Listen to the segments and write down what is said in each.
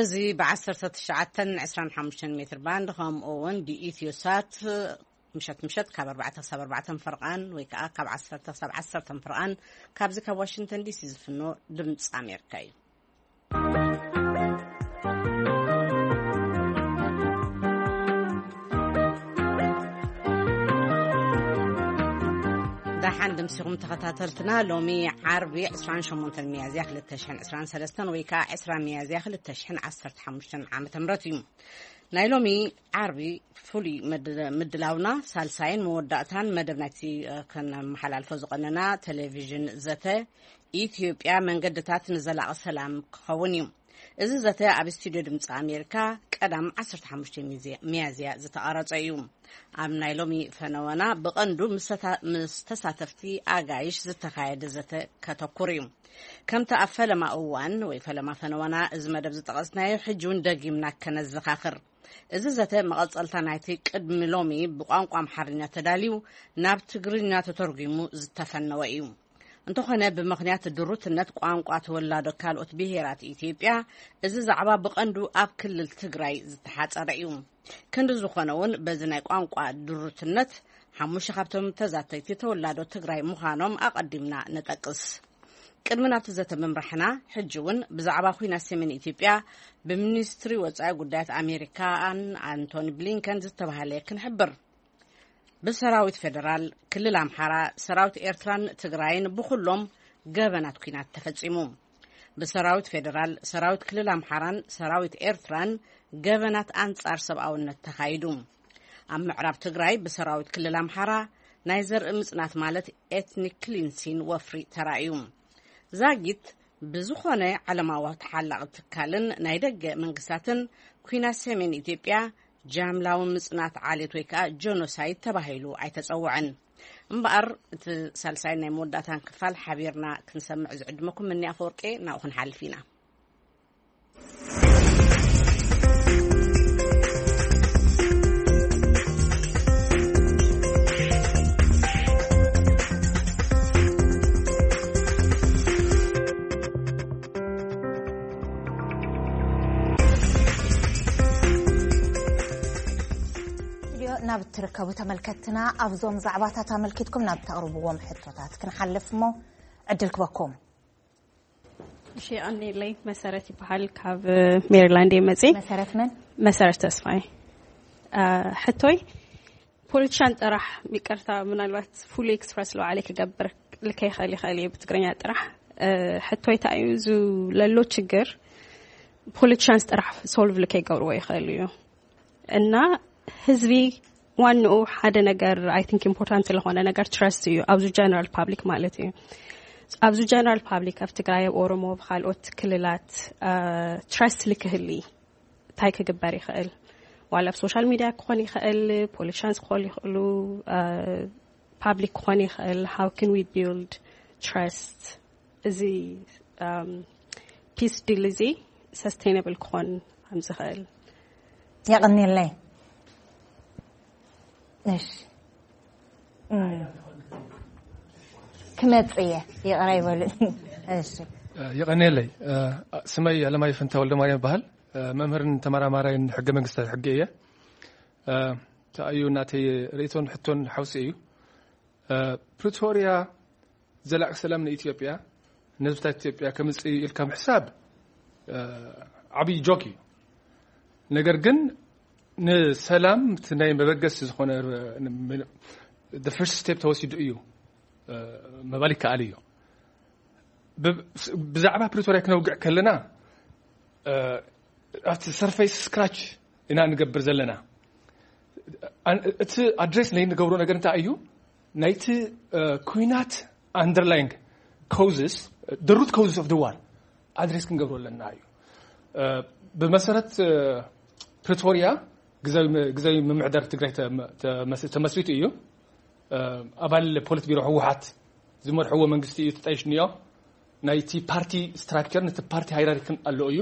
እዚ ብ19 ን25 ሜትር ባንድ፣ ከምኡ እውን ብኢትዮ ሳት ምሸት ምሸት ካብ ኣርባዕተ ክሳብ ኣርባዕተ ፍርቓን ወይ ከዓ ካብ ዓሰርተ ክሳብ ዓሰርተ ፍርቓን ካብዚ ካብ ዋሽንግተን ዲሲ ዝፍኖ ድምፂ ኣሜሪካ እዩ። ደሓን ድምሲኹም ተኸታተልትና። ሎሚ ዓርቢ 28 ሚያዝያ 2023 ወይ ከዓ 20 ሚያዝያ 2015 ዓመተ ምህረት እዩ። ናይ ሎሚ ዓርቢ ፍሉይ ምድ- ምድላውና ሳልሳይን መወዳእታን መደብ ናይቲ ከነመሓላልፎ ዝቐነና ቴሌቪዥን ዘተ ኢትዮጵያ መንገድታት ንዘላቒ ሰላም ክኸውን እዩ። እዚ ዘተ ኣብ ስቱዲዮ ድምፂ ኣሜሪካ ቀዳም 15 ሚያዝያ ዝተቐረፀ እዩ። ኣብ ናይ ሎሚ ፈነወና ብቐንዱ ምስ ተሳተፍቲ ኣጋይሽ ዝተኻየደ ዘተ ከተኩር እዩ። ከምቲ ኣብ ፈለማ እዋን ወይ ፈለማ ፈነወና እዚ መደብ ዝጠቐስናዮ፣ ሕጂ እውን ደጊምና ከነዘኻኽር፣ እዚ ዘተ መቐፀልታ ናይቲ ቅድሚ ሎሚ ብቋንቋ ኣምሓርኛ ተዳልዩ ናብ ትግርኛ ተተርጉሙ ዝተፈነወ እዩ። እንተኾነ፣ ብምኽንያት ድሩትነት ቋንቋ ተወላዶ ካልኦት ብሄራት ኢትዮጵያ፣ እዚ ዛዕባ ብቐንዱ ኣብ ክልል ትግራይ ዝተሓፀረ እዩ። ክንዲ ዝኾነ እውን፣ በዚ ናይ ቋንቋ ድሩትነት ሓሙሽተ ካብቶም ተዛተይቲ ተወላዶ ትግራይ ምዃኖም ኣቐዲምና ንጠቅስ። ቅድሚ ናብቲ ዘተ ምምራሕና፣ ሕጂ እውን ብዛዕባ ኲናት ሰሜን ኢትዮጵያ ብሚኒስትሪ ወፃኢ ጉዳያት ኣሜሪካን ኣንቶኒ ብሊንከን ዝተባህለ ክንሕብር። ብሰራዊት ፌደራል ክልል ኣምሓራ፣ ሰራዊት ኤርትራን ትግራይን ብኹሎም ገበናት ኲናት ተፈጺሙ። ብሰራዊት ፌደራል፣ ሰራዊት ክልል ኣምሓራን ሰራዊት ኤርትራን ገበናት ኣንጻር ሰብኣውነት ተኻይዱ። ኣብ ምዕራብ ትግራይ ብሰራዊት ክልል ኣምሓራ ናይ ዘርኢ ምጽናት ማለት ኤትኒክ ክሊንሲን ወፍሪ ተራእዩ። ዛጊት ብዝኾነ ዓለማዊ ተሓላቒ ትካልን ናይ ደገ መንግስታትን ኲናት ሰሜን ኢትዮጵያ ጃምላዊ ምጽናት ዓሌት ወይ ከዓ ጀኖሳይድ ተባሂሉ ኣይተጸውዐን። እምበኣር እቲ ሳልሳይን ናይ መወዳእታን ክፋል ሓቢርና ክንሰምዕ ዝዕድመኩም እኒ ኣፈወርቄ ናብኡ ክንሓልፍ ኢና። ስቱዲዮ ናብ እትርከቡ ተመልከትትና፣ ኣብዞም ዛዕባታት ኣመልኪትኩም ናብ ተቕርብዎም ሕቶታት ክንሓልፍ እሞ ዕድል ክበኩም። እሺ፣ ኣኔለይ መሰረት ይበሃል፣ ካብ ሜሪላንድ እየ መፅእ። መሰረት መን? መሰረት ተስፋይ። አ፣ ሕቶይ ፖለቲሻን ጥራሕ፣ ይቅርታ፣ ምናልባት ፉሊ ኤክስፕረስ ለባዕለይ ክገብር ልከ ይኽእል ይኽእል እየ ብትግርኛ ጥራሕ። እ፣ ሕቶይ እንታይ እዩ? እዚ ለሎ ችግር ፖለቲሻንስ ጥራሕ ሶልቭ ልከ ይገብርዎ ይኽእል እዩ። እና ህዝቢ ዋንኡ ሓደ ነገር፣ ኣይ ቲንክ፣ ኢምፖርታንት ስለኾነ ነገር ትረስት እዩ፣ ኣብዚ ጀነራል ፓብሊክ ማለት እዩ። ኣብዚ ጀነራል ፓብሊክ ኣብ ትግራይ፣ ኣብ ኦሮሞ፣ ኣብ ካልኦት ክልላት፣ እ፣ ትረስት ልክህሊ እንታይ ክግበር ይኽእል? ዋላ ኣብ ሶሻል ሚድያ ክኾን ይኽእል፣ ፖለቲሻንስ ክኾኑ ይኽእሉ፣ እ፣ ፓብሊክ ክኾን ይኽእል። How can we build trust? እዚ፣ እም፣ ፒስ ዲል እዚ ሰስቴይነብል ክኾን ከም ዝኽእል። የቐንየለይ። እሺ። እም። ክመጽእ እየ፣ ይቕረ ይበሉኒ። እሺ። እ፣ የቐንየለይ። እ፣ ስመይ ኣለማየሁ ፈንታ ወልደማርያም ይበሃል። እ፣ መምህርን ተመራማራይን ሕገ መንግስታዊ ሕጊ እየ። እ፣ ተኣዩ ናተይ ርእይቶን ሕቶን ሓውሲ እዩ። እ፣ ፕሪቶርያ ዘላቂ ሰላም ንኢትዮጵያ፣ ንህዝብታት ኢትዮጵያ ከምጽእ ኢልካ ምሕሳብ፣ እ፣ ዓብዪ ጆክ እዩ። ነገር ግን ንሰላም እቲ ናይ መበገሲ ዝኾነ፣ እ፣ ን-፣ ን-፣ the first step ተወሲዱ እዩ፣ እ፣ ምባል ይከኣል እዩ። ብ-፣ ብዛዕባ ፕሪቶርያ ክነውግዕ ከለና፣ እ፣ ኣብቲ ሰርፌስ ስክራች ኢና ንገብር ዘለና። ኣን-፣ እቲ ኣድሬስ ናይ ንገብሮ ነገር እንታይ እዩ? ናይቲ፣ እ፣ ኩናት ኣንደርላይንግ ኮውዝስ፣ the root causes of the war ኣድሬስ ክንገብሮ ኣለና እዩ። እ፣ ብመሰረት፣ እ፣ ፕሪቶርያ ግዛዊ መ-፣ ግዛዊ ምምሕዳር ትግራይ ተመ-፣ ተመስ-፣ ተመስሪቱ እዩ። እ፣ ኣባል ፖሊት ቢሮ ህወሓት ዝመርሕዎ መንግስቲ እዩ ተጣይሽ እኒኦ። ናይቲ ፓርቲ ስትራክቸር፣ ነቲ ፓርቲ ሃይራርክን ኣለዎ እዩ።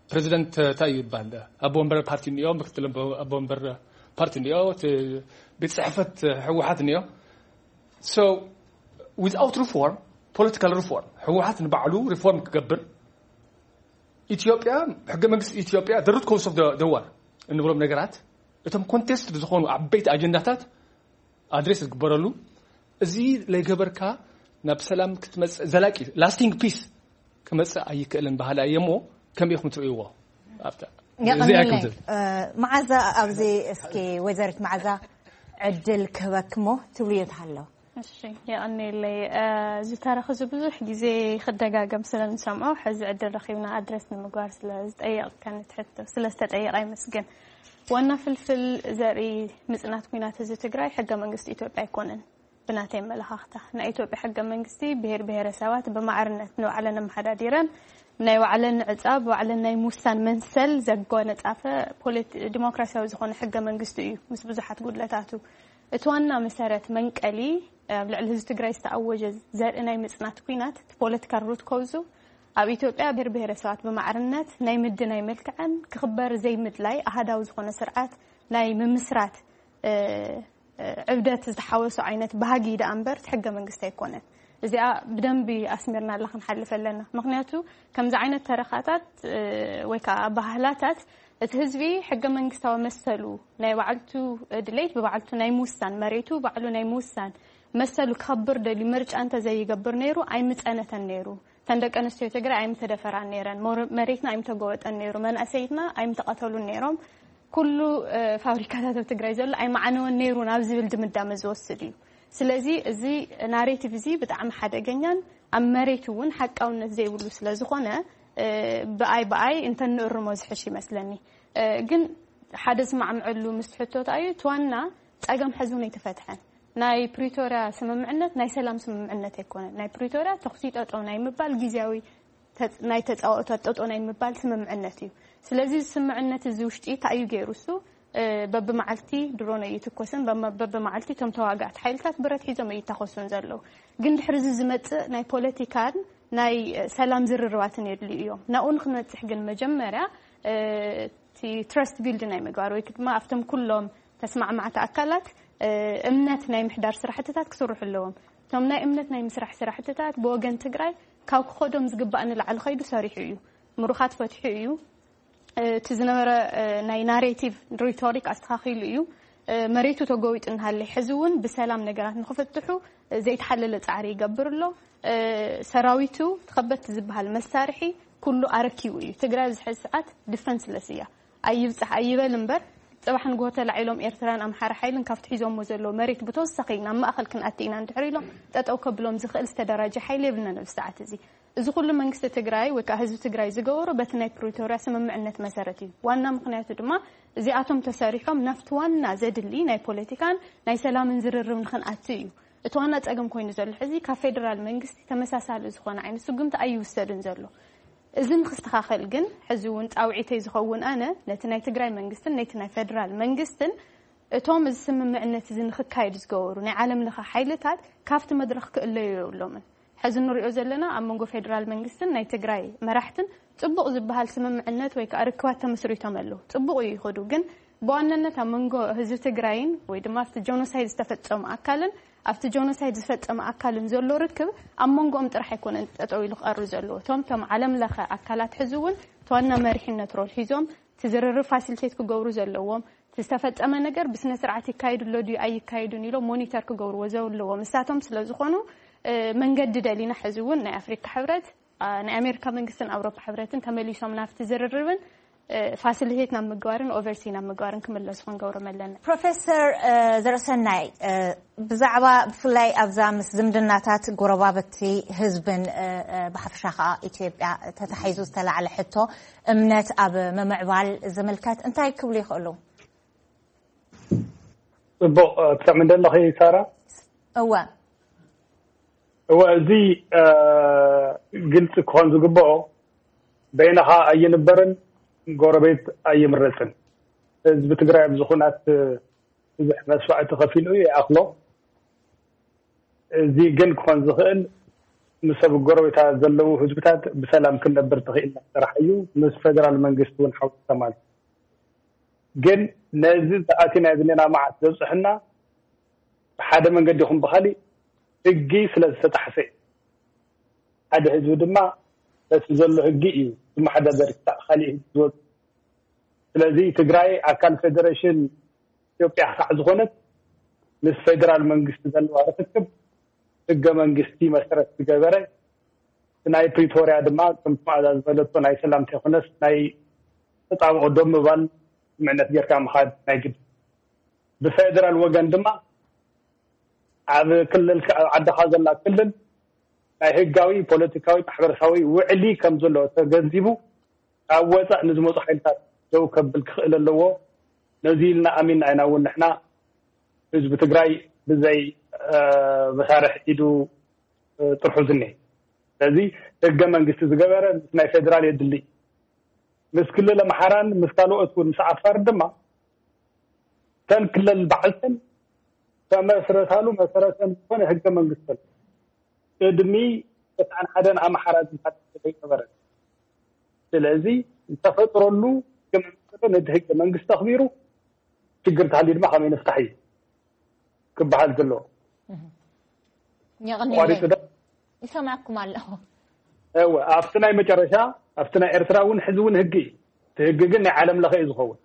ፕሬዚደንት እንታይ ይባል? ኣቦ ወንበር ፓርቲ እኒኦ፣ ምክትል ኣቦ፣ ኣቦ ወንበር ፓርቲ እኒኦ፣ እቲ ቤት ጽሕፈት ህወሓት እኒኦ። So, without reform, political reform፣ ህወሓት ንባዕሉ ሪፎርም ክገብር ኢትዮጵያ፣ ሕገ መንግስቲ ኢትዮጵያ፣ the root cause of the war እንብሎም ነገራት፣ እቶም ኮንቴስት ዝኾኑ ዓበይቲ ኣጀንዳታት ኣድሬስ ዝግበረሉ፣ እዚ ለይገበርካ ናብ ሰላም ክትመጽእ፣ ዘላቂ ላስቲንግ ፒስ ክመጽእ ኣይክእልን ባህላ እየ እሞ፣ ከመይ ኢኹም ትርእይዎ? ኣብታ እዚኣ የቐንየለይ። ይክንትል። እ፣ መዓዛ፣ ኣብዚ እስኪ ወይዘሪት መዓዛ ዕድል ክህበክ እሞ ትብልዮ ተሃሎ። እሺ፣ የቐንየለይ። እ፣ ዝተረኽ እዚ ብዙሕ ግዜ ክደጋገም ስለ ንሰምዖ፣ ሕዚ ዕድል ረኺብና ኣድረስ ንምግባር ስለ ዝጠየቕከኒ ትሕቶ፣ ስለ ዝተጠየቐ ይመስገን። ዋና ፍልፍል ዘርኢ ምጽናት ኲናት ህዝቢ ትግራይ ሕገ መንግስቲ ኢትዮጵያ ኣይኮነን። ብናተይ ኣመለኻኽታ፣ ናይ ኢትዮጵያ ሕገ መንግስቲ ብሄር ብሄረሰባት ብማዕርነት ንባዕለን ኣመሓዳዲረን ናይ ባዕለን ዕፃ ብባዕለን ናይ ምውሳን መንሰል ዘጓነፃፈ ፖለቲ-፣ ዲሞክራሲያዊ ዝኾነ ሕገ መንግስቲ እዩ፣ ምስ ብዙሓት ጉድለታቱ። እቲ ዋና መሰረት መንቀሊ ኣብ ልዕሊ ህዝቢ ትግራይ ዝተኣወጀ ዘርኢ ናይ ምፅናት ኲናት፣ እቲ ፖለቲካል ሩት ኮዙ ኣብ ኢትዮጵያ ብሄር ብሄረሰባት ብማዕርነት ናይ ምድናይ መልክዐን ክኽበር ዘይምድላይ ኣሃዳዊ ዝኾነ ስርዓት ናይ ምምስራት፣ እ፣ እ፣ ዕብደት ዝተሓወሶ ዓይነት ባህጊ ደኣ እምበር እቲ ሕገ መንግስቲ ኣይኮነን። እዚኣ ብደንቢ ኣስሚርናላ ክንሓልፍ ኣለና። ምኽንያቱ ከምዚ ዓይነት ተረኻታት፣ እ፣ ወይ ከዓ ኣበሃህላታት እቲ ህዝቢ ሕገ መንግስታዊ መሰሉ ናይ ባዕልቱ ድሌት ብባዕልቱ ናይ ምውሳን መሬቱ ባዕሉ ናይ ምውሳን መሰሉ ክኸብር ደልዩ ምርጫ እንተዘይገብር ነይሩ ኣይምጸነተን ነይሩ። እተን ደቂ ኣንስትዮ ትግራይ ኣይምተደፈራን ነይረን። ሞር-፣ መሬትና ኣይምተጎበጠን ነይሩ። መናእሰይትና ኣይምተቐተሉን ነይሮም። ኩሉ፣ እ፣ ፋብሪካታት ኣብ ትግራይ ዘሎ ኣይመዓነወን ነይሩ ናብ ዝብል ድምዳመ ዝወስድ እዩ። ስለዚ እዚ ናሬቲቭ እዚ ብጣዕሚ ሓደገኛን ኣብ መሬት እውን ሓቃውነት ዘይብሉ ስለ ዝኾነ፣ እ፣ ብኣይ ብኣይ እንተንእርሞ ዝሕሽ ይመስለኒ። እ፣ ግን ሓደ ዝማዕምዐሉ ምስ ትሕቶ እንታይ እዩ? እቲ ዋና ጸገም ሕዚ እውን ኣይተፈትሐን። ናይ ፕሪቶርያ ስምምዕነት ናይ ሰላም ስምምዕነት ኣይኮነን። ናይ ፕሪቶርያ ተኹሲ ጠጠው ናይ ምባል ግዜያዊ ተጽ-፣ ናይ ተጻዋኦታት ጠጠው ናይ ምባል ስምምዕነት እዩ። ስለዚ እዚ ስምምዕነት እዚ ውሽጢ እንታይ እዩ ገይሩ እሱ? እ፣ በብመዓልቲ ድሮን ኣይትኮስን፣ በመ-፣ በብመዓልቲ እቶም ተዋጋእቲ ሓይልታት ብረት ሒዞም ኣይታኾሱን ዘለዉ። ግን ድሕሪ እዚ ዝመጽእ ናይ ፖለቲካን ናይ፣ እ፣ ሰላም ዝርርባትን የድልዩ እዮም። ናብኡ ንክንበጽሕ ግን መጀመርያ፣ እ፣ እቲ ትረስት ቢልድ ናይ ምግባር ወይ ድማ ኣብቶም ኩሎም ተስማዕማዕቲ ኣካላት፣ እ፣ እምነት ናይ ምሕዳር ስራሕትታት ክስርሑ ኣለዎም። እቶም ናይ እምነት ናይ ምስራሕ ስራሕትታት ብወገን ትግራይ ካብ ክኸዶም ዝግባእ ንላዕሊ ኸይዱ ሰሪሑ እዩ። ምሩኻት ፈትሑ እዩ። እ፣ እቲ ዝነበረ፣ እ፣ ናይ ናሬቲቭ ሪቶሪክ ኣስተኻኺሉ እዩ። እ፣ መሬቱ ተጎቢጡ እናሃለ ሕዚ እውን ብሰላም ነገራት ንክፍትሑ፣ እ፣ ዘይተሓለለ ጻዕሪ ይገብር ኣሎ። እ፣ ሰራዊቱ ተኸበድቲ ዝበሃል መሳርሒ ኩሉ ኣረኪቡ እዩ። ትግራይ ኣብዚ ሕዚ ሰዓት ዲፈንስለስ እያ። ኣይብጻሕ ኣይበል እምበር፣ ጽባሕ ንግሆ ተላዒሎም ኤርትራን ኣምሓራ ሓይልን ካብቲ ሒዞሞ ዘለዉ መሬት ብተወሳኺ ናብ ማእኸል ክንኣቲ ኢና እንድሕር ኢሎም፣ ጠጠው ከብሎም ዝኽእል ዝተደራጀ ሓይሊ የብልናን ኣብዚ ሰዓት እዚ። እዚ ኩሉ መንግስቲ ትግራይ ወይ ከዓ ህዝቢ ትግራይ ዝገበሮ በቲ ናይ ፕሪቶርያ ስምምዕነት መሰረት እዩ። ዋና ምኽንያቱ ድማ እዚኣቶም ተሰሪሖም ናብቲ ዋና ዘድሊ ናይ ፖለቲካን ናይ ሰላምን ዝርርብ ንኽንኣቱ እዩ። እቲ ዋና ጸገም ኮይኑ ዘሎ ሕዚ ካብ ፌደራል መንግስቲ ተመሳሳሊ ዝኾነ ዓይነት ስጉምቲ ኣይውሰድን ዘሎ። እዚ ንክስተኻኸል ግን ሕዚ እውን ጻውዒተይ ዝኸውን ኣነ ነቲ ናይ ትግራይ መንግስትን ነቲ ናይ ፌደራል መንግስትን እቶም እዚ ስምምዕነት እዚ ንክካየድ ዝገበሩ ናይ ዓለም ለኸ ሓይልታት ካብቲ መድረኽ ክእለዩ የብሎምን። ሕዚ ንሪኦ ዘለና ኣብ መንጎ ፌደራል መንግስትን ናይ ትግራይ መራሕትን ጽቡቕ ዝበሃል ስምምዕነት ወይ ከዓ ርክባት ተመስሪቶም ኣለዉ። ጽቡቕ እዩ ይኸዱ፣ ግን ብዋናነት ኣብ መንጎ ህዝቢ ትግራይን ወይ ድማ ኣብቲ ጀኖሳይድ ዝተፈጸሙ ኣካልን ኣብቲ ጀኖሳይድ ዝፈጸመ ኣካልን ዘሎ ርክብ ኣብ መንጎኦም ጥራሕ ኣይኮነን ጠጠው ኢሉ ክቐርብ ዘለዎ። እቶም፣ እቶም ዓለም ለኸ ኣካላት ሕዚ እውን እቲ ዋና መሪሕነት ሮል ሒዞም እቲ ዝርርብ ፋሲሊቴት ክገብሩ ዘለዎም፣ እቲ ዝተፈጸመ ነገር ብስነ ስርዓት ይካየድ ኣሎ ድዩ ኣይካየዱን ኢሎም ሞኒተር ክገብርዎ ዘለዎም እሳቶም ስለ ዝኾኑ፣ እ፣ መንገዲ ደሊና ሕዚ እውን ናይ ኣፍሪካ ሕብረት፣ አ፣ ናይ ኣሜሪካ መንግስትን ኣውሮፓ ሕብረትን ተመሊሶም ናብቲ ዝርርብን፣ እ፣ ፋሲሊቴት ናብ ምግባርን ኦቨርሲ ናብ ምግባርን ክምለሱ ክንገብሮም ኣለና። ፕሮፌሰር፣ እ፣ ዘርእሰናይ፣ እ፣ ብዛዕባ ብፍላይ ኣብዛ ምስ ዝምድናታት ጎረባብቲ ህዝብን፣ እ፣ እ፣ ብሓፈሻ ከኣ ኢትዮጵያ ተታሒዙ ዝተላዕለ ሕቶ እምነት ኣብ ምምዕባል ዝምልከት እንታይ ክብሉ ይኽእሉ? ጽቡቕ፣ እ፣ ትሰምዕኒ ኣለኺ ሳራ? እወ። እወ፣ እዚ፣ እ፣ ግልጺ ክኾን ዝግብኦ በይንኻ ኣይንበርን ጎረቤት ኣይምረጽን። ህዝቢ ትግራይ ኣብዚ ኹናት፣ እ፣ ብዙሕ መስዋዕቲ ከፊሉ እዩ ይኣኽሎ። እዚ ግን ክኾን ዝኽእል ምስ ኣብ ጎረቤታ ዘለዉ ህዝብታት ብሰላም ክንነብር ተኽኢልና ጥራሕ እዩ። ምስ ፌደራል መንግስቲ እውን ሓዊስካ ማለት እዩ። ግን ነዚ ተኣቲናዮ ዘለና መዓት ዘብፅሐና ብሓደ መንገዲ ይኹን ብኻሊእ ሕጊ ስለ ዝተጣሕሰ እዩ። ሓደ ህዝቢ ድማ በቲ ዘሎ ህጊ እዩ ዝመሓዳደር፣ ክሳዕ ካሊእ ህጊ ዝወፅ። ስለዚ ትግራይ ኣካል ፌደሬሽን ኢትዮጵያ ክሳዕ ዝኾነት፣ ምስ ፌደራል መንግስቲ ዘለዋ ርክክብ ህገ መንግስቲ መሰረት ዝገበረ፣ ናይ ፕሪቶርያ ድማ ከምቲ መኣዛ ዝበለቶ ናይ ሰላም ተይኮነስ ናይ ተጣብቆ ደው ምባል ስምምዕነት ጌርካ ምኻድ ናይ ግድ። ብፌደራል ወገን ድማ ኣብ ክልል፣ ኣብ ዓድኻ ዘላ ክልል ናይ ህጋዊ፣ ፖለቲካዊ፣ ማሕበረሰባዊ ውዕሊ ከም ዘሎ ተገንዚቡ፣ ካብ ወፃእ ንዝመፁ ሓይልታት ደው ከብል ክኽእል ኣለዎ። ነዚ ኢልና ኣሚንና ኢና እውን ንሕና ህዝቢ ትግራይ ብዘይ መሳርሕ ኢዱ ጥርሑ ዝኒሀ። ስለዚ ህገ መንግስቲ ዝገበረ ምስ ናይ ፌደራል የድሊ። ምስ ክልል ኣምሓራን ምስ ካልኦት እውን፣ ምስ ዓፋር ድማ፣ ተን ክልል ባዕልተን ተመስረታሉ መሰረተን ዝኾነ ህገ መንግስቲ ኣሎ። ቅድሚ ተስዓን ሓደን ኣምሓራ ዝበሃል ዘይነበረ። ስለዚ ዝተፈጥረሉ ህገ መንግስቲ ነቲ ህገ መንግስቲ ኣኽቢሩ፣ ችግር ተሃልዩ ድማ ከመይ ንፍታሕ እዩ ክበሃል ዘለዎ። የቐንየለይ። ይሰማዕኩም ኣለኹ። እወ፣ ኣብቲ ናይ መጨረሻ፣ ኣብቲ ናይ ኤርትራ እውን ሕዚ እውን ህጊ እዩ። እቲ ህጊ ግን ናይ ዓለም ለኸ እዩ ዝኸውን።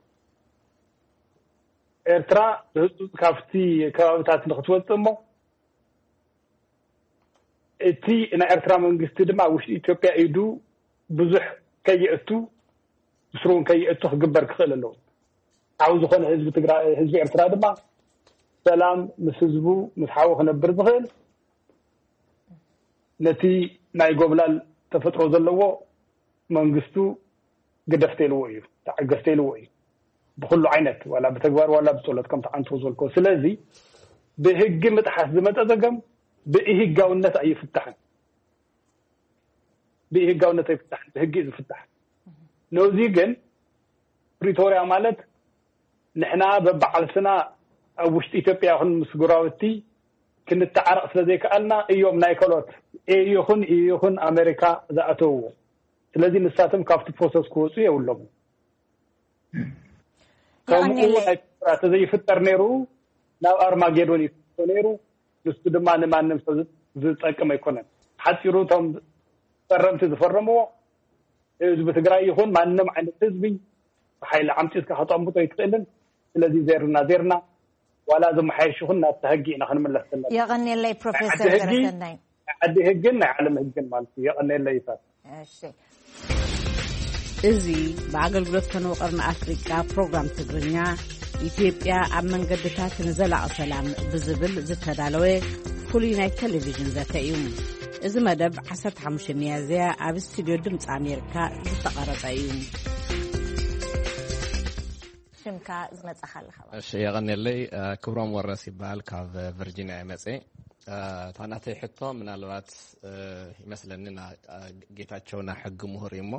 ኤርትራ ብህፁፅ ካብቲ ከባብታት ንክትወፅእ እሞ፣ እቲ ናይ ኤርትራ መንግስቲ ድማ ኣብ ውሽጢ ኢትዮጵያ ኢዱ ብዙሕ ከየእቱ፣ ብስሩ እውን ከየእቱ ክግበር ክኽእል ኣለዎ። ሓው ዝኾነ ህዝቢ ትግራይ፣ ህዝቢ ኤርትራ ድማ ሰላም ምስ ህዝቡ፣ ምስ ሓው ክነብር ዝኽእል፣ ነቲ ናይ ጎብላል ተፈጥሮ ዘለዎ መንግስቱ ግደፍ ተይልዎ እዩ፣ ተዓገስ ተይልዎ እዩ። ብኹሉ ዓይነት፣ ዋላ ብተግባር ዋላ ብጸሎት፣ ከምቲ ዓንቶ ዝበልኮ። ስለዚ ብህጊ ምጥሓስ ዝመጸ ጸገም ብኢህጋውነት ኣይፍታሕን። ብኢህጋውነት ኣይፍታሕን፣ ብህጊ እዩ ዝፍታሕ። ነዚ ግን ፕሪቶርያ ማለት ንሕና በባዓልስና ኣብ ውሽጢ ኢትዮጵያ ይኹን ምስ ጎረባብቲ ክንተዓረቕ ስለ ዘይከኣልና እዮም ናይ ካልኦት ኤዩ ይኹን ኢዩ ይኹን ኣሜሪካ ዝኣተውዎ። ስለዚ ንሳቶም ካብቲ ፕሮሰስ ክወፁ የብሎምን። ከምኡ የቐንየለይ። ናይ ኤርትራ ተዘይፍጠር ነይሩ ናብ ኣርማጌዶን ይፍቶ ነይሩ። ንሱ ድማ ንማንም ሰብ ዝ- ዝጠቅም ኣይኮነን። ሓፂሩ እቶም ፈረምቲ ዝፈረምዎ ህዝቢ ትግራይ ይኹን ማንም ዓይነት ህዝቢ ብሓይሊ ዓምፂትካ ከተቐምጦ ኣይትኽእልን። ስለዚ ዜርና ዜርና ዋላ ዝመሓየሽ ይኹን ናብቲ ሕጊ ኢና ክንምለስ ዘለና። የቐንየለይ ፕሮፌሰር ዓዲ ሕጊ ገረሰናይ። ናይ ዓዲ ህግን ናይ ዓለም ህግን ማለት እዩ። የቐንየለይ ይሳት። እሺ። እዚ ብኣገልግሎት ፈነወ ቀርኒ ኣፍሪቃ ፕሮግራም ትግርኛ፣ ኢትዮጵያ ኣብ መንገድታት ንዘላቒ ሰላም ብዝብል ዝተዳለወ ፍሉይ ናይ ቴሌቪዥን ዘተ እዩ። እዚ መደብ ዓሰርተ ሓሙሽተ ሚያዝያ ኣብ ስቱድዮ ድምፂ ኣሜሪካ ዝተቐረጸ እዩ። ሽምካ ዝመጻኻ ኣለኻ ማለት እሺ፣ የቐንየለይ። እ፣ ክብሮም ወረስ ይበሃል፣ ካብ ቨርጂኒያ ይመጽእ። እ፣ እታ ናተይ ሕቶ ምናልባት፣ እ፣ ይመስለኒ ና-፣ እ፣ ጌታቸው ናይ ሕጊ ምሁር እዩ እሞ፣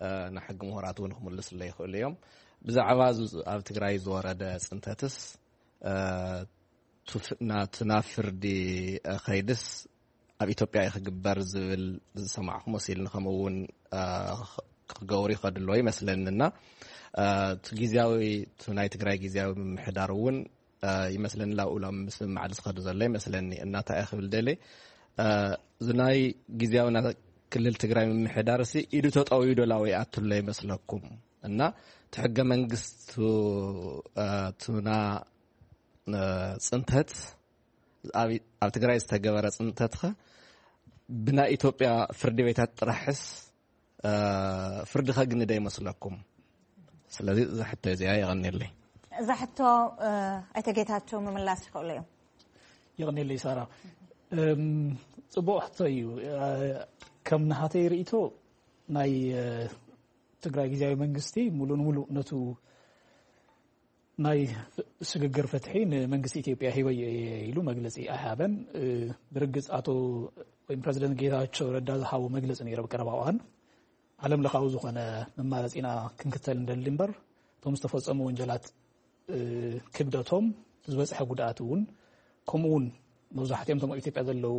እ፣ ናይ ሕጊ ምሁራት እውን ክምልስለይ ይኽእሉ እዮም። ብዛዕባ ዝ-፣ ኣብ ትግራይ ዝወረደ ጽንተትስ፣ እ፣ ቱፍ-፣ ናቱ ናብ ፍርዲ፣ እ፣ ኸይድስ ኣብ ኢትዮጵያ እዩ ክግበር ዝብል ዝሰማዕኩ መሲልኒ፣ ከምኡ እውን፣ እ፣ ክገብሩ ይኸዱ ኣለዎ ይመስለኒ። እና፣ እ፣ እቲ ግዝያዊ፣ እቲ ናይ ትግራይ ግዝያዊ ምምሕዳር እውን፣ እ፣ ይመስለኒ ላብኡ ሎም ምስምማዕ ዝኸዱ ዘሎ ይመስለኒ። እና እንታይ እየ ክብል ደልየ፣ እ፣ እዚ ናይ ግዝያዊ ናይ ክልል ትግራይ ምምሕዳር ሲ ኢዱ ተጠውዩ ዶ ላው ይኣቱ ኣሎ ይመስለኩም? እና እቲ ሕገ መንግስቱ፣ እ፣ እቱና፣ እ፣ ጽንተት ኣብ፣ ኣብ ትግራይ ዝተገበረ ጽንተትኸ ብናይ ኢትዮጵያ ፍርዲ ቤታት ጥራሕስ፣ እ፣ ፍርዲ ከግኒ ዶ ይመስለኩም? ስለዚ እዛ ሕቶ እዚኣ የቐንየለይ። እዛ ሕቶ፣ እ፣ ኣይተ ጌታቸው ምምላስ ይኽእሉ እዮም። የቐንየለይ ሳራ። እም፣ ጽቡቕ ሕቶ እዩ። እ፣ ከም ናሃተይ ርእይቶ ናይ፣ እ፣ ትግራይ ግዝያዊ መንግስቲ ሙሉ ንሙሉ ነቱ ናይ ፍ-፣ ስግግር ፍትሒ ንመንግስቲ ኢትዮጵያ ሂበዮ እየ ኢሉ መግለጺ ኣይሃበን። እ፣ ብርግጽ ኣቶ ወይም ፕረዚደንት ጌታቸው ረዳ ዝሃቦ መግለጺ ነይሩ ኣብ ቀረባ እዋን። ዓለም ለኻዊ ዝኾነ መማረፂና ክንክተል እንደሊ እምበር፣ እቶም ዝተፈጸሙ ወንጀላት፣ እ፣ ክብደቶም፣ ዝበፅሐ ጉድኣት እውን፣ ከምኡ እውን መብዛሕትኦም እቶም ኣብ ኢትዮጵያ ዘለዉ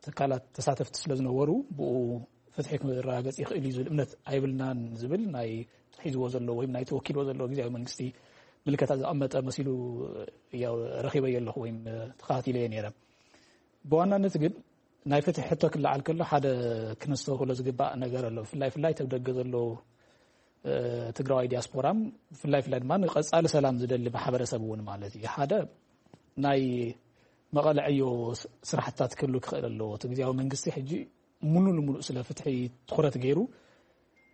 ትካላት ተሳተፍቲ ስለ ዝነበሩ፣ ብኡ ፍትሒ ክረጋገጽ ይኽእል እዩ ዝብል እምነት ኣይብልናን ዝብል ናይ ሒዝዎ ዘሎ ወይም ናይ ተወኪልዎ ዘሎ ግዝያዊ መንግስቲ ምልከታ ዘቐመጠ መሲሉ፣ ያው፣ ረኺበዮ ኣለኹ ወይም ተኸታቲለዮ ነይረ። ብዋናነት ግን ናይ ፍትሒ ሕቶ ክለዓል ከሎ ሓደ ክነስተውህሎ ዝግባእ ነገር ኣሎ። ብፍላይ ፍላይ ተብ ደገ ዘሎ ትግራዋይ ዲያስፖራም ብፍላይ ፍላይ ድማ ንቀፃሊ ሰላም ዝደሊ ማሕበረሰብ እውን ማለት እዩ። ሓደ ናይ መቐለ ዕዮ ስራሕትታት ክህሉ ክኽእል ኣለዎ። እቲ ግዜያዊ መንግስቲ ሕጂ ሙሉ ንሙሉእ ስለ ፍትሒ ትኹረት ገይሩ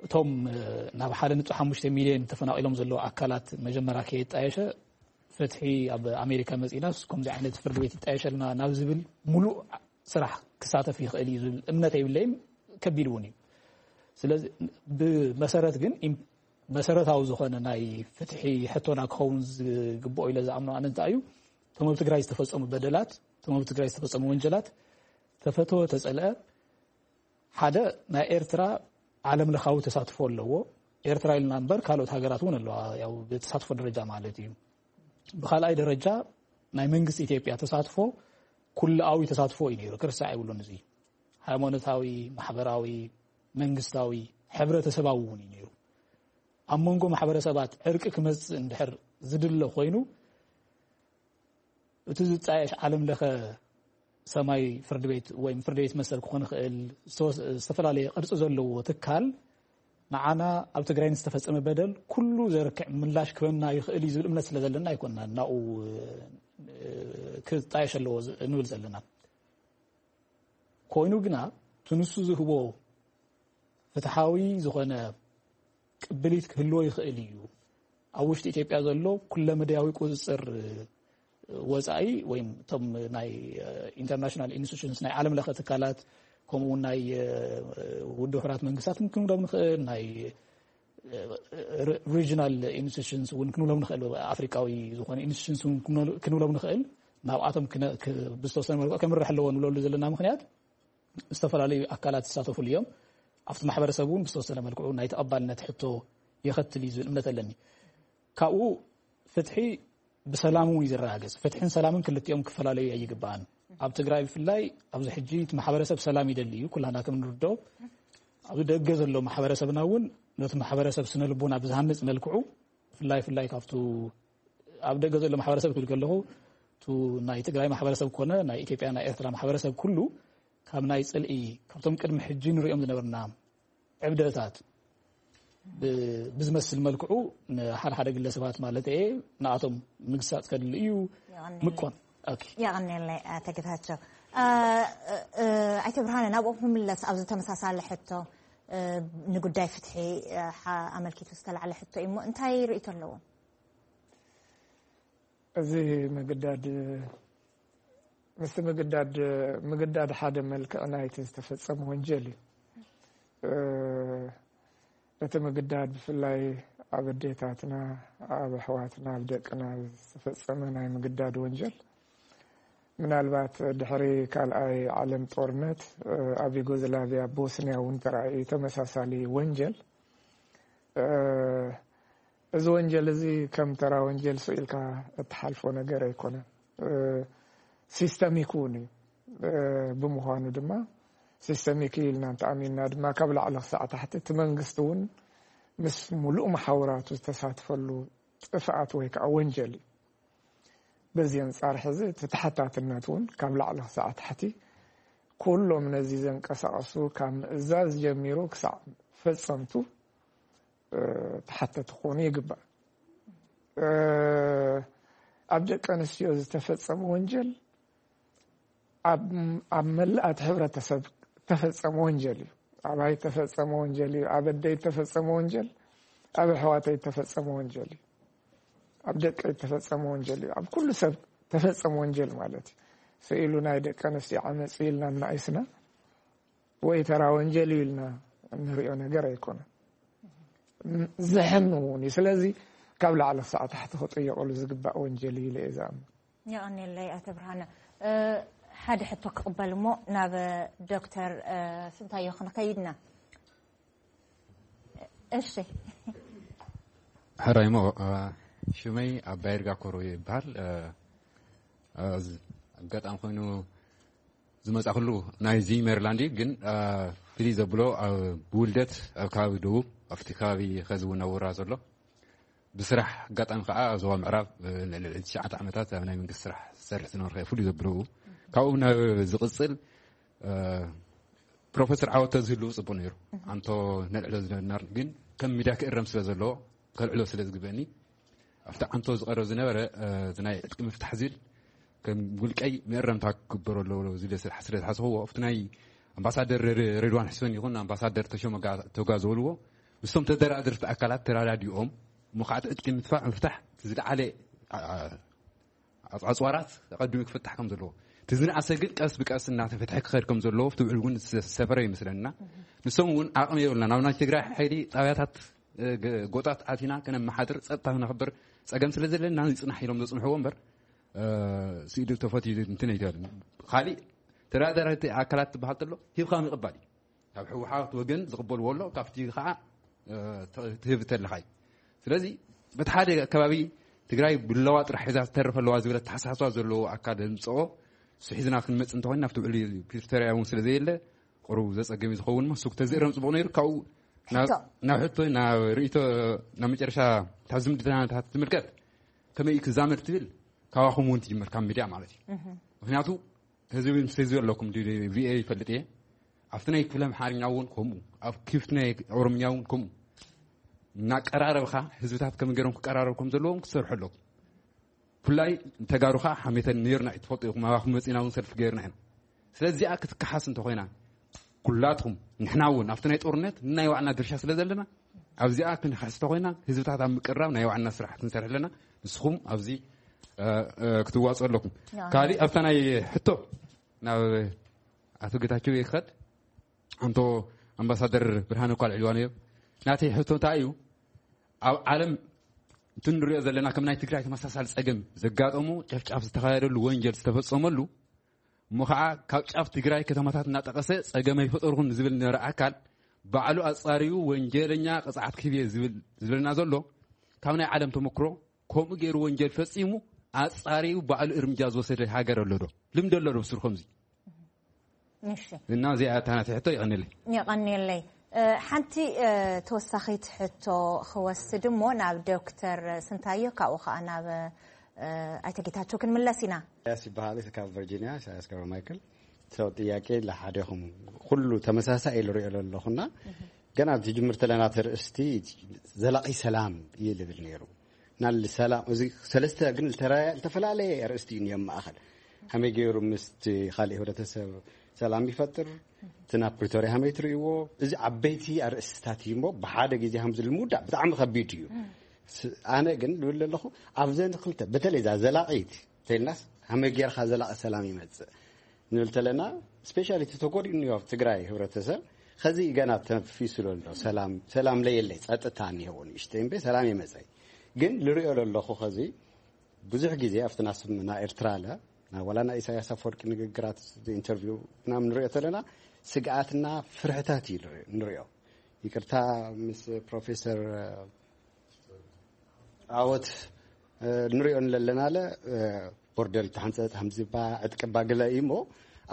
እቶም ናብ ሓደ ነጥቢ ሓሙሽተ ሚሊዮን ተፈናቒሎም ዘለዉ ኣካላት መጀመርያ ከየጣየሸ ፍትሒ ኣብ ኣሜሪካ መፂናስ ከምዚ ዓይነት ፍርዲ ቤት ይጣየሸልና ናብ ዝብል ሙሉእ ስራሕ ክሳተፍ ይኽእል እዩ ዝብል እምነት የብለይም። ከቢድ እውን እዩ። ስለዚ ብመሰረት ግን መሰረታዊ ዝኾነ ናይ ፍትሒ ሕቶና ክኸውን ዝግብኦ ኢለ ዝኣምኖ ኣነ እንታይ እዩ፣ እቶም ኣብ ትግራይ ዝተፈፀሙ በደላት፣ እቶም ኣብ ትግራይ ዝተፈፀሙ ወንጀላት ተፈተወ ተፀልአ ሓደ ናይ ኤርትራ ዓለም ለኻዊ ተሳትፎ ኣለዎ። ኤርትራ ኢልና እምበር ካልኦት ሃገራት እውን ኣለዋ፣ ያው ብተሳትፎ ደረጃ ማለት እዩ። ብካልኣይ ደረጃ ናይ መንግስቲ ኢትዮጵያ ተሳትፎ ኩልኣዊ ተሳትፎ እዩ ነይሩ፣ ክርሳዕ የብሉን። እዚ ሃይማኖታዊ፣ ማሕበራዊ፣ መንግስታዊ፣ ሕብረተሰባዊ እውን እዩ ነይሩ። ኣብ መንጎ ማሕበረሰባት ዕርቂ ክመፅእ እንድሕር ዝድለ ኮይኑ እቲ ዝጣየሽ ዓለም ለኸ ሰማይ ፍርድ ቤት ወይ ፍርድ ቤት መሰል ክኾን ይኽእል ዝተፈላለየ ቅርፂ ዘለዎ ትካል ንዓና ኣብ ትግራይ ዝተፈፀመ በደል ኩሉ ዘርክዕ ምላሽ ክበና ይኽእል እዩ ዝብል እምነት ስለ ዘለና ኣይኮንና ናኡ ክጣየሽ ኣለዎ ንብል ዘለና። ኮይኑ ግና ትንሱ ዝህቦ ፍትሓዊ ዝኾነ ቅብሊት ክህልዎ ይኽእል እዩ። ኣብ ውሽጢ ኢትዮጵያ ዘሎ ኩለመዳያዊ ቁፅፅር ወፃኢ ወይ እቶም ናይ ኢንተርናሽናል ኢንስቲቱሽንስ ናይ ዓለም ለኸ ትካላት ከምኡ እውን ናይ ውድብ ሕራት መንግስታት ክንብሎም ንኽእል ናይ ሪጅናል ኢንስቲቱሽንስ እውን ክንብሎም ንኽእል ኣፍሪካዊ ዝኾነ ኢንስቲቱሽንስ እውን ክንብሎም ንኽእል ናብኣቶም ብዝተወሰነ መልክዑ ከምርሕ ኣለዎ ንብለሉ ዘለና ምክንያት ዝተፈላለዩ ኣካላት ዝሳተፉሉ እዮም። ኣብቲ ማሕበረሰብ እውን ብዝተወሰነ መልክዑ ናይ ተቐባልነት ሕቶ የኸትል እዩ ዝብል እምነት ኣለኒ። ካብኡ ፍትሒ ብሰላም እውን እዩ ዝረጋገፅ። ፍትሕን ሰላምን ክልቲኦም ክፈላለዩ ኣይግባኣን። ኣብ ትግራይ ብፍላይ ኣብዚ ሕጂ እቲ ማሕበረሰብ ሰላም ይደሊ እዩ፣ ኩላና ከም ንርዶ ኣብዚ ደገ ዘሎ ማሕበረሰብና እውን ነቲ ማሕበረሰብ ስነ ልቦና ብዝሃንፅ መልክዑ ብፍላይ ፍላይ ካብቱ ኣብ ደገ ዘሎ ማሕበረሰብ ክብል ከለኹ እቲ ናይ ትግራይ ማሕበረሰብ ኮነ ናይ ኢትዮጵያ ናይ ኤርትራ ማሕበረሰብ ኩሉ ካብ ናይ ፅልኢ ካብቶም ቅድሚ ሕጂ ንሪኦም ዝነበርና ዕብደታት ብዝመስል መልክዑ ንሓደ ሓደ ግለሰባት ማለት እየ ንኣቶም ምግሳፅ ከድሊ እዩ። ምኮን የቐኔለይ ኣተግታቸው። ኣይተ ብርሃነ ናብኦም ክምለስ ኣብዚ ተመሳሳለ ሕቶ ንጉዳይ ፍትሒ ኣመልኪቱ ዝተላዕለ ሕቶ እዩ እሞ እንታይ ርእቶ ኣለዎም? እዚ ምግዳድ ምስቲ ምግዳድ ምግዳድ ሓደ መልክዕ ናይቲ ዝተፈጸመ ወንጀል እዩ። እቲ ምግዳድ ብፍላይ ኣብ ኣዴታትና ኣብ ኣሕዋትና ኣብ ደቅና ዝተፈጸመ ናይ ምግዳድ ወንጀል ምናልባት ድሕሪ ካልኣይ ዓለም ጦርነት ኣብ ዩጎዝላቪያ ቦስኒያ እውን ተራእዩ ተመሳሳሊ ወንጀል እዚ ወንጀል እዚ ከም ተራ ወንጀል ስኢልካ እትሓልፎ ነገር ኣይኮነን። ሲስተሚክ እውን እዩ። ብምዃኑ ድማ ሲስተሚክ ኢልና እንተኣሚንና ድማ ካብ ላዕሊ ክሳዕ ታሕቲ እቲ መንግስቲ እውን ምስ ሙሉእ መሓውራቱ ዝተሳትፈሉ ጥፍኣት ወይ ከዓ ወንጀል እዩ። በዚ ኣንጻር ሕዚ እቲ ተሓታትነት እውን ካብ ላዕሊ ክሳዕ ታሕቲ ኩሎም ነዚ ዘንቀሳቐሱ ካብ ምእዛዝ ጀሚሩ ክሳዕ ፈጸምቱ ተሓተቲ ክኾኑ ይግባእ። ኣብ ደቂ ኣንስትዮ ዝተፈጸመ ወንጀል ኣብ መላእ እቲ ሕብረተሰብ ተፈጸመ ወንጀል እዩ። ኣባይ ተፈጸመ ወንጀል እዩ። ኣብ ኣደይ ተፈጸመ ወንጀል፣ ኣብ ኣሕዋተይ ተፈጸመ ወንጀል እዩ። ኣብ ደቀይ ተፈጸመ ወንጀል እዩ። ኣብ ኩሉ ሰብ ተፈጸመ ወንጀል ማለት እዩ። ስኢሉ ናይ ደቂ ኣንስትዮ ዓመፅ ኢልና እናኢስና ወይ ተራ ወንጀል እዩ ኢልና እንሪኦ ነገር ኣይኮነን። ዝሕም እውን እዩ። ስለዚ ካብ ላዕሊ ክሳዕ ታሕቲ ክጥየቀሉ ዝግባእ ወንጀል እዩ ኢለ እየ ዝኣምን። የቐኔለይ ኣቶ ብርሃነ። ሓደ ሕቶ ክቕበል እሞ ናብ ዶክተር ስንታዮ ክንኸይድና። እሺ። ሕራይ እሞ ሽመይ ኣባይርጋ ኮሮ ይበሃል። ኣጋጣሚ ኮይኑ ዝመፃእኩሉ ናይዚ ሜሪላንድ እዩ፣ ግን ፍልይ ዘብሎ ብውልደት ኣብ ከባቢ ደቡብ ኣብቲ ከባቢ ኸዚ እውን ኣብ ወራ ዘሎ ብስራሕ ኣጋጣሚ ከዓ ኣብ ዞባ ምዕራብ ንልዕሊ ትሽዓተ ዓመታት ኣብ ናይ መንግስቲ ስራሕ ዝሰርሕ ዝነበርካ ፍሉይ ዘብሎ ካብኡ ናብ ዝቕፅል ፕሮፌሰር ዓወት ተዝህልው ጽቡቅ ነይሩ። ኣንቶ ነልዕሎ ዝነበርና ግን ከም ሚድያ ክእረም ስለ ዘለዎ ከልዕሎ ስለ ዝግበኒ ኣብቲ ኣንቶ ዝቐረብ ዝነበረ እዚ ናይ ዕጥቂ ምፍታሕ ዝብል ከም ውልቀይ መእረምታ ክግበሮ ኣለዎ ዝብል ስለ ዝሓስብዎ ኣብቲ ናይ ኣምባሳደር ሬድዋን ሕስን ይኹን ኣምባሳደር ተሾመ ቶጋ ዝበልዎ ምስቶም ተደራደርቲ ኣካላት ተራዳዲኦም እሞ ከዓ ዕጥቂ ምፍታሕ ዝለዓለ ኣፅዋራት ኣቐድሚ ክፍታሕ ከም ዘለዎ እቲ ዝነኣሰ ግን ቀስ ብቀስ እናተፈትሐ ክኸድ ከም ዘለዎ ኣብቲ ውዕል እውን ዝሰፈረ ይመስለና። ንሶም እውን ዓቕሚ የብልና ናብ ናይ ትግራይ ሓይሊ ጣብያታት ጎጣት ኣቲና ከነመሓድር ፀጥታ ክነኽብር ፀገም ስለ ዘለና ይፅናሕ ኢሎም ዘፅንሕዎ እምበር ስኢዱ ተፈትዩ እንትን ኣይተበልን። ካሊእ ተደራዳሪቲ ኣካላት ትበሃል ተሎ ሂብካ ምቕባል እዩ። ካብ ህወሓት ወገን ዝቕበልዎ ኣሎ ካብቲ ከዓ ትህብ ተለካ እዩ። ስለዚ በቲ ሓደ ከባቢ ትግራይ ብለዋ ጥራሕ ሒዛ ትተርፍ ኣለዋ ዝብል ኣተሓሳስባ ዘለዎ ኣካል ዘምፅኦ ንሱ ሒዝና ክንመፅእ እንተኮይና ኣብቲ ውዕሊ ፕሪቶርያ እውን ስለ ዘየለ ቁሩብ ዘፀግም እዩ ዝኸውን እሞ እሱ ክተዝእረም ፅቡቅ ነይሩ። ካብኡ ናብ ሕቶ ናብ ርእቶ ናብ መጨረሻ እታ ዝምድናታት ትምልከት ከመይ እዩ ክዛመድ ትብል ካባኹም እውን ትጅመር ካብ ሚድያ ማለት እዩ። ምክንያቱ ህዝቢ ምስ ህዝቢ ኣለኩም ቪኦኤ ይፈልጥ እየ ኣብቲ ናይ ክፍለ ኣምሓርኛ እውን ከምኡ ኣብ ክፍቲ ናይ ኦሮምኛ እውን ከምኡ እናቀራረብካ ህዝብታት ከመይ ገይሮም ክቀራረብ ከም ዘለዎም ክትሰርሑ ኣለኩም። ብፍላይ ንተጋሩ ከዓ ሓሜተን ነይርና እዩ ትፈልጡ ኢኹም ኣባኹም መፂና እውን ሰልፊ ገይርና ኢና። ስለዚ እዚኣ ክትከሓስ እንተኮይና ኩላትኩም ንሕና እውን ኣብቲ ናይ ጦርነት ናይ ዋዕና ድርሻ ስለ ዘለና ኣብዚኣ ክንሓስ እንተኮይና ህዝብታት ኣብ ምቅራብ ናይ ዋዕና ስራሕ ክንሰርሕ ኣለና። ንስኹም ኣብዚ ክትዋፅኡ ኣለኩም። ካሊእ ኣብታ ናይ ሕቶ ናብ ኣቶ ጌታቸው ይኸድ ኣንቶ ኣምባሳደር ብርሃነ እኳ ልዕልዋ ነዮም ናተይ ሕቶ እንታይ እዩ ኣብ ዓለም እቲ ንሪኦ ዘለና ከም ናይ ትግራይ ተመሳሳሊ ፀገም ዘጋጠሙ ጨፍጫፍ ዝተኻየደሉ ወንጀል ዝተፈፀመሉ እሞ ከዓ ካብ ጫፍ ትግራይ ከተማታት እናጠቐሰ ፀገም ኣይፈጠርኩን ዝብል ነበረ ኣካል ባዕሉ ኣፃሪዩ ወንጀለኛ ቅፅዓት ክህብ እየ ዝብል ዝብለና ዘሎ ካብ ናይ ዓለም ተመክሮ ከምኡ ገይሩ ወንጀል ፈፂሙ ኣፃሪዩ ባዕሉ እርምጃ ዝወሰደ ሃገር ኣሎ ዶ? ልምዲ ኣሎ ዶ ብስሩ ከምዚ? እና እዚኣ እታ ናተይ ሕቶ ይቐንለይ። የቐንየለይ። ሓንቲ ተወሳኺት ሕቶ ክወስድ እሞ ናብ ዶክተር ስንታዮ ካብኡ ከዓ ናብ ኣይተ ጌታቸው ክንምለስ ኢና። ኢሳያስ ይበሃል ካብ ቨርጂኒያ ኢሳያስ ገብረ ማይክል። ሰው ጥያቄ ለሓደኹም ኩሉ ተመሳሳይ ኢሉ ሪኦ ኣለኹና ግን ኣብ ትጅምር ተለና ተርእስቲ ዘላቂ ሰላም እየ ልብል ነይሩ ናል ሰላም እዚ ሰለስተ ግን ዝተፈላለየ ኣርእስቲ እዩ እኒኦም ማእኸል ከመይ ገይሩ ምስቲ ካልእ ህብረተሰብ ሰላም ይፈጥር እቲ ናብ ፕሪቶሪያ ከመይ ትርእይዎ እዚ ዓበይቲ ኣርእስትታት እዩ እሞ ብሓደ ግዜ ከም ዝልምውዳእ ብጣዕሚ ከቢድ እዩ ኣነ ግን ልብል ኣለኹ ኣብዘን ክልተ በተለይ እዛ ዘላቒት ተልናስ ከመይ ጌርካ ዘላቒ ሰላም ይመፅእ ንብል ተለና ስፔሻሊ እቲ ተጎዲኡ እኒኦ ኣብ ትግራይ ህብረተሰብ ከዚ ገና ተንፊሱ ዘሎ ሰላም ሰላም ለየለይ ፀጥታ እኒሄዎ ንእሽተይ እምበይ ሰላም የመፀይ ግን ልሪኦ ለለኹ ከዚ ብዙሕ ግዜ ኣብቲ ናስምና ኤርትራ ለ ናብ ዋላ ናይ ኢሳያስ ኣፈወርቂ ንግግራት ኢንተርቪው ምናምን ንሪኦ ተለና ስግኣትና ፍርሕታት እዩ ንሪኦ ይቅርታ ምስ ፕሮፌሰር ዓወት ንሪኦ ንለለና ለ ቦርደር ይተሓንፀፅ ሃምዚባ ዕጥቅባ ገለ እዩ እሞ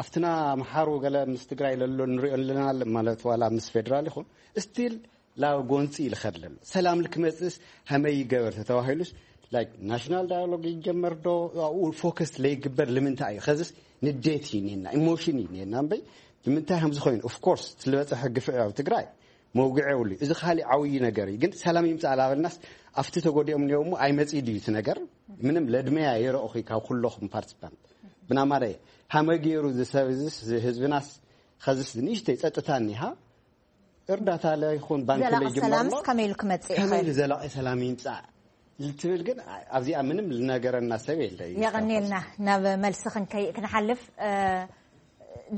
ኣብትና ምሓሩ ገለ ምስ ትግራይ ለሎ ንሪኦ ንለና ማለት ዋላ ምስ ፌደራል ይኹን ስቲል ላብ ጎንፂ ይልኸድ ለሎ ሰላም ልክመፅእስ ሃመይ ይገበር ተተባሂሉስ like national dialogue ይጀመር ዶ ኣብኡ ፎከስ ለይግበር ልምንታይ እዩ ከዝስ ንዴት እዩ ኔና ኢሞሽን እዩ ኔና እምበይ ብምንታይ ከምዚ ኮይኑ of course ስለበፀሐ ግፍዒ ኣብ ትግራይ መውግዒ የብሉ እዚ ካሊእ ዓብዪ ነገር እዩ ግን ሰላም ይምፃእ ላበልናስ ኣብቲ ተጎዲኦም እኒኦ እሞ ኣይመፅእ ድዩ እቲ ነገር ምንም ለድመያ የረእኹ ካብ ኩለኹም ፓርቲስፓንት ብናማረ ሃመ ገይሩ ዝሰብ እዚስ ህዝብናስ ከዝስ ንእሽተይ ፀጥታ እኒሃ እርዳታ ለይኹን ባንክ ዘላቂ ለይጅመር ሰላምስ እሞ ከመይ ኢሉ ክመፅእ ከመይ ይኽእል? ኢሉ ዘላቂ ሰላም ይምፃእ ልትብል ግን ኣብዚኣ ምንም ልነገረና ሰብ የለ እዩ የቐንየልና ናብ መልሲ ክንከይእ ክንሓልፍ እ፣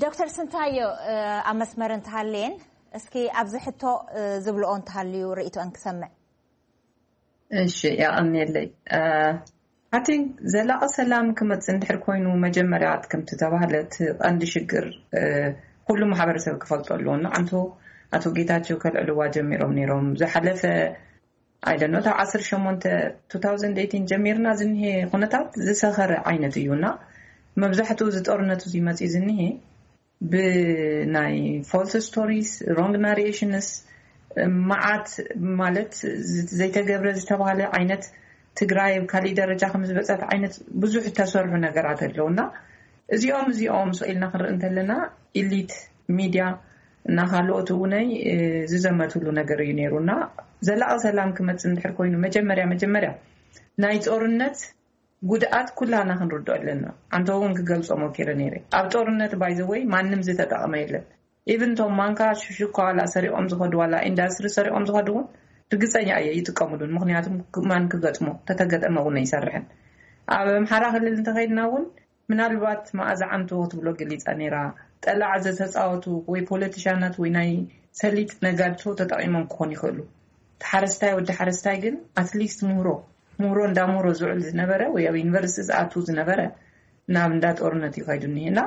ዶክተር ስንታዮ እ፣ ኣብ መስመር እንተሃለየን እስኪ ኣብዚ ሕቶ እ፣ ዝብልኦ እንተሃልዩ ርእቶአን ክሰምዕ እሺ የቐንየለይ I think ዘላቒ ሰላም ክመፅእ እንድሕር ኮይኑ መጀመርያ ከምቲ ተባህለ እቲ ቀንዲ ሽግር ኩሉ ማሕበረሰብ ክፈልጦ ኣለዎ ንዓንቶ ኣቶ ጌታቸው ከልዕልዋ ጀሚሮም ነይሮም ዝሓለፈ I don't know ካብ ዓሰርተ ሸሞንተ two thousand eighteen ጀሚርና ዝኒሀ ኩነታት ዝሰኸረ ዓይነት እዩ እና መብዛሕትኡ እዚ ጦርነት እዚ መፅኡ ዝኒሀ ብናይ false stories wrong narrations መዓት ማለት ዘይተገብረ ዝተባሃለ ዓይነት ትግራይ ኣብ ካሊእ ደረጃ ከም ዝበፀት ዓይነት ብዙሕ ዝተሰርሑ ነገራት ኣለዉ እና እዚኦም እዚኦም ስቕ ኢልና ክንርኢ እንተለና ኢሊት ሚድያ እና ካልኦት እውነይ ዝዘመትሉ ነገር እዩ ነይሩ። እና ዘላቒ ሰላም ክመፅእ እንድሕር ኮይኑ መጀመርያ መጀመርያ ናይ ጦርነት ጉድኣት ኩላና ክንርድኦ ኣለና። ኣንተ እውን ክገልፆ ሞኪረ ነይረ። ኣብ ጦርነት ባይዘወይ ማንም ዝተጠቐመ የለን። ኢቭን ቶም ማንካ ሽሽኳ ዋላ ሰሪቆም ዝኸዱ ዋላ ኢንዳስትሪ ሰሪቆም ዝኸዱ እውን ርግፀኛ እየ ይጥቀምሉን። ምክንያቱም ማን ክገጥሞ ተተገጠመ እውን ኣይሰርሕን። ኣብ ኣምሓራ ክልል እንተኸይድና እውን ምናልባት መኣዛ ዓንቶ ክትብሎ ገሊፃ ነይራ። ጠላዕ ዘተፃወቱ ወይ ፖለቲሻናት ወይ ናይ ሰሊጥ ነጋድቶ ተጠቂሞም ክኾኑ ይኽእሉ። ተሓረስታይ ወዲ ሓረስታይ ግን ኣትሊስት ምህሮ ምህሮ እንዳ ምህሮ ዝውዕል ዝነበረ ወይ ኣብ ዩኒቨርሲቲ ዝኣቱ ዝነበረ ናብ እንዳ ጦርነት እዩ ከይዱ እኒሄ። እና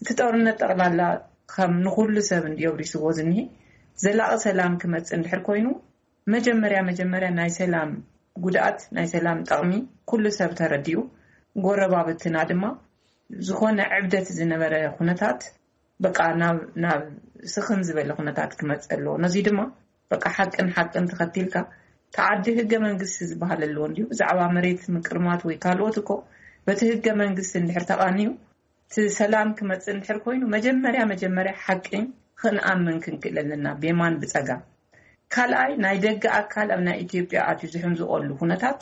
እቲ ጦርነት ጠቕላላ ከም ንኩሉ ሰብ እንዲዮ ብሪስዎ ዝኒሄ ዘላቒ ሰላም ክመፅእ እንድሕር ኮይኑ መጀመርያ መጀመርያ ናይ ሰላም ጉድኣት ናይ ሰላም ጠቕሚ ኩሉ ሰብ ተረዲኡ፣ ጎረባብትና ድማ ዝኾነ ዕብደት ዝነበረ ኩነታት በቃ ናብ ናብ ስኽን ዝበለ ኩነታት ክመፅእ ኣለዎ። ነዚ ድማ በቃ ሓቅን ሓቅን ተኸቲልካ ተዓዲ ህገ መንግስቲ ዝበሃል ኣለዎ እንዲሁ ብዛዕባ መሬት ምቅርማት ወይ ካልኦት እኮ በቲ ህገ መንግስቲ እንድሕር ተቓንዩ እቲ ሰላም ክመፅእ እንድሕር ኮይኑ መጀመርያ መጀመርያ ሓቂ ክንኣምን ክንክእል ኣለና ብየማን ብፀጋም። ካልኣይ ናይ ደገ ኣካል ኣብ ናይ ኢትዮጵያ ኣትዩ ዝሕምዝቆሉ ኩነታት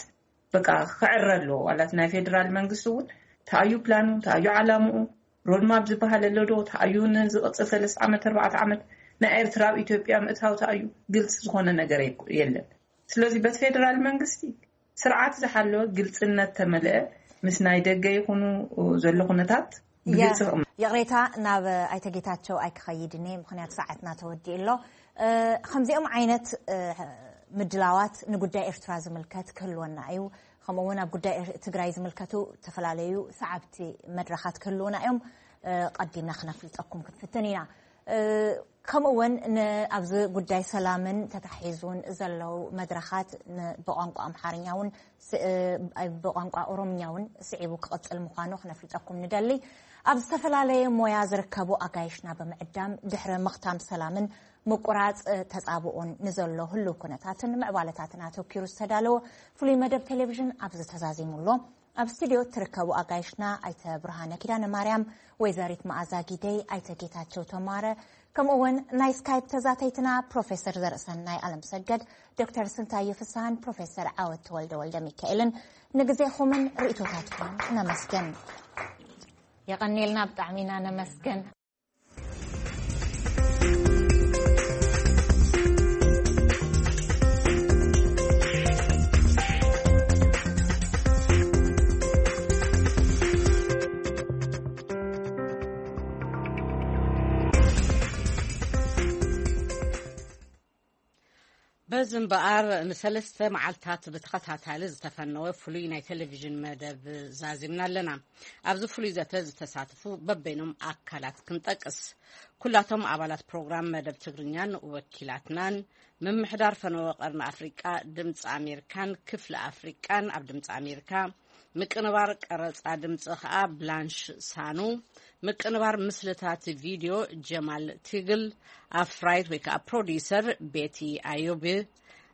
በቃ ክዕረ ኣለዎ። ዋላት ናይ ፌደራል መንግስቲ እውን ተኣዩ ፕላኑ ተኣዩ ዓላምኡ ሮድማፕ ዝበሃል ኣሎ ዶ ተኣዩ ንዝቕፅል ሰለስተ ዓመት ኣርባዕተ ዓመት ናይ ኤርትራ ኣብ ኢትዮጵያ ምእታው ተኣዩ ግልፂ ዝኾነ ነገር የለን። ስለዚ በቲ ፌደራል መንግስቲ ስርዓት ዝሓለወ ግልፅነት ተመልአ ምስ ናይ ደገ ይኹኑ ዘሎ ኩነታት ብግልፂ ክቕመጥ። ይቕሬታ ናብ ኣይተ ጌታቸው ኣይክኸይድን እየ፣ ምክንያቱ ሰዓትና ተወዲኡ ኣሎ። ከምዚኦም ዓይነት ምድላዋት ንጉዳይ ኤርትራ ዝምልከት ክህልወና እዩ። ከምኡ እውን ኣብ ጉዳይ ትግራይ ዝምልከቱ ዝተፈላለዩ ሰዓብቲ መድረኻት ክህልውና እዮም። ቀዲምና ክነፍልጠኩም ክንፍትን ኢና። ከምኡ እውን ኣብዚ ጉዳይ ሰላምን ተታሒዙን ዘለዉ መድረኻት ብቋንቋ ኣምሓርኛ እውን ብቋንቋ ኦሮምኛ እውን ስዒቡ ክቕፅል ምዃኑ ክነፍልጠኩም ንደሊ። ኣብ ዝተፈላለየ ሞያ ዝርከቡ ኣጋይሽና ብምዕዳም ድሕሪ ምኽታም ሰላምን ምቁራፅ ተፃብኦን ንዘሎ ህልው ኩነታትን ምዕባለታትን ኣተኪሩ ዝተዳለወ ፍሉይ መደብ ቴሌቪዥን ኣብዚ ተዛዚሙ ኣሎ። ኣብ ስቱድዮ እትርከቡ ኣጋይሽና ኣይተ ብርሃነ ኪዳነ ማርያም፣ ወይዘሪት መኣዛ ጊደይ፣ ኣይተ ጌታቸው ተማረ፣ ከምኡ እውን ናይ ስካይፕ ተዛተይትና ፕሮፌሰር ዘርእሰናይ ኣለምሰገድ፣ ዶክተር ስንታየ ፍስሃን ፕሮፌሰር ዓወት ተወልደ ወልደ ሚካኤልን ንግዜኹምን ርእይቶታትኩምን ነመስግን። የቐኔልና፣ ብጣዕሚ ኢና ነመስግን። በዚ እምበኣር ንሰለስተ መዓልታት ብተኸታታሊ ዝተፈነወ ፍሉይ ናይ ቴሌቪዥን መደብ ዛዚምና ኣለና። ኣብዚ ፍሉይ ዘተ ዝተሳተፉ በበይኖም ኣካላት ክንጠቅስ፣ ኩላቶም ኣባላት ፕሮግራም መደብ ትግርኛን ወኪላትናን፣ ምምሕዳር ፈነወ ቀርኒ ኣፍሪቃ ድምፂ ኣሜሪካን ክፍሊ ኣፍሪቃን ኣብ ድምፂ ኣሜሪካ፣ ምቅንባር ቀረፃ ድምፂ ከዓ ብላንሽ ሳኑ፣ ምቅንባር ምስልታት ቪድዮ ጀማል ቲግል፣ ኣፍራይት ወይ ከዓ ፕሮዲሰር ቤቲ ኣዮብ፣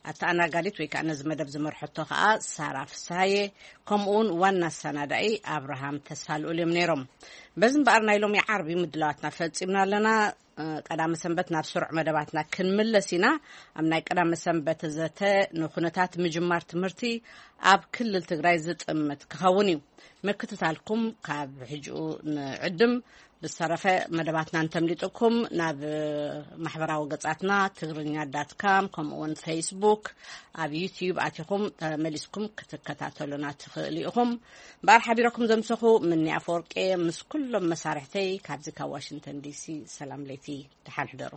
ኣተኣናጋዲት ወይ ከዓ ነዚ መደብ ዝመርሐቶ ከዓ ሳራ ፍስሃየ፣ ከምኡ እውን ዋና ኣሰናዳኢ ኣብርሃም ተስፋልኡል እዮም ነይሮም። በዚ እምበኣር ናይ ሎሚ ዓርቢ ምድላዋትና ፈፂምና ኣለና። ቀዳመ ሰንበት ናብ ስሩዕ መደባትና ክንምለስ ኢና። ኣብ ናይ ቀዳመ ሰንበት ዘተ ንኩነታት ምጅማር ትምህርቲ ኣብ ክልል ትግራይ ዝጥምት ክኸውን እዩ። ምክትታልኩም ካብ ሕጂኡ ንዕድም። ብዝተረፈ መደባትና እንተምሊጥኩም ናብ ማሕበራዊ ገጻትና ትግርኛ ዳት ካም ከምኡ እውን ፌስቡክ ኣብ ዩትዩብ ኣቲኹም ተመሊስኩም ክትከታተሉና ትኽእሉ ኢኹም። እምበኣር ሓቢረኩም ዘምሰኹ ምኒ ኣፈወርቄ ምስ ኩሎም መሳርሕተይ ካብዚ ካብ ዋሽንግተን ዲሲ ሰላም ለይቲ ደሓን ሕደሩ።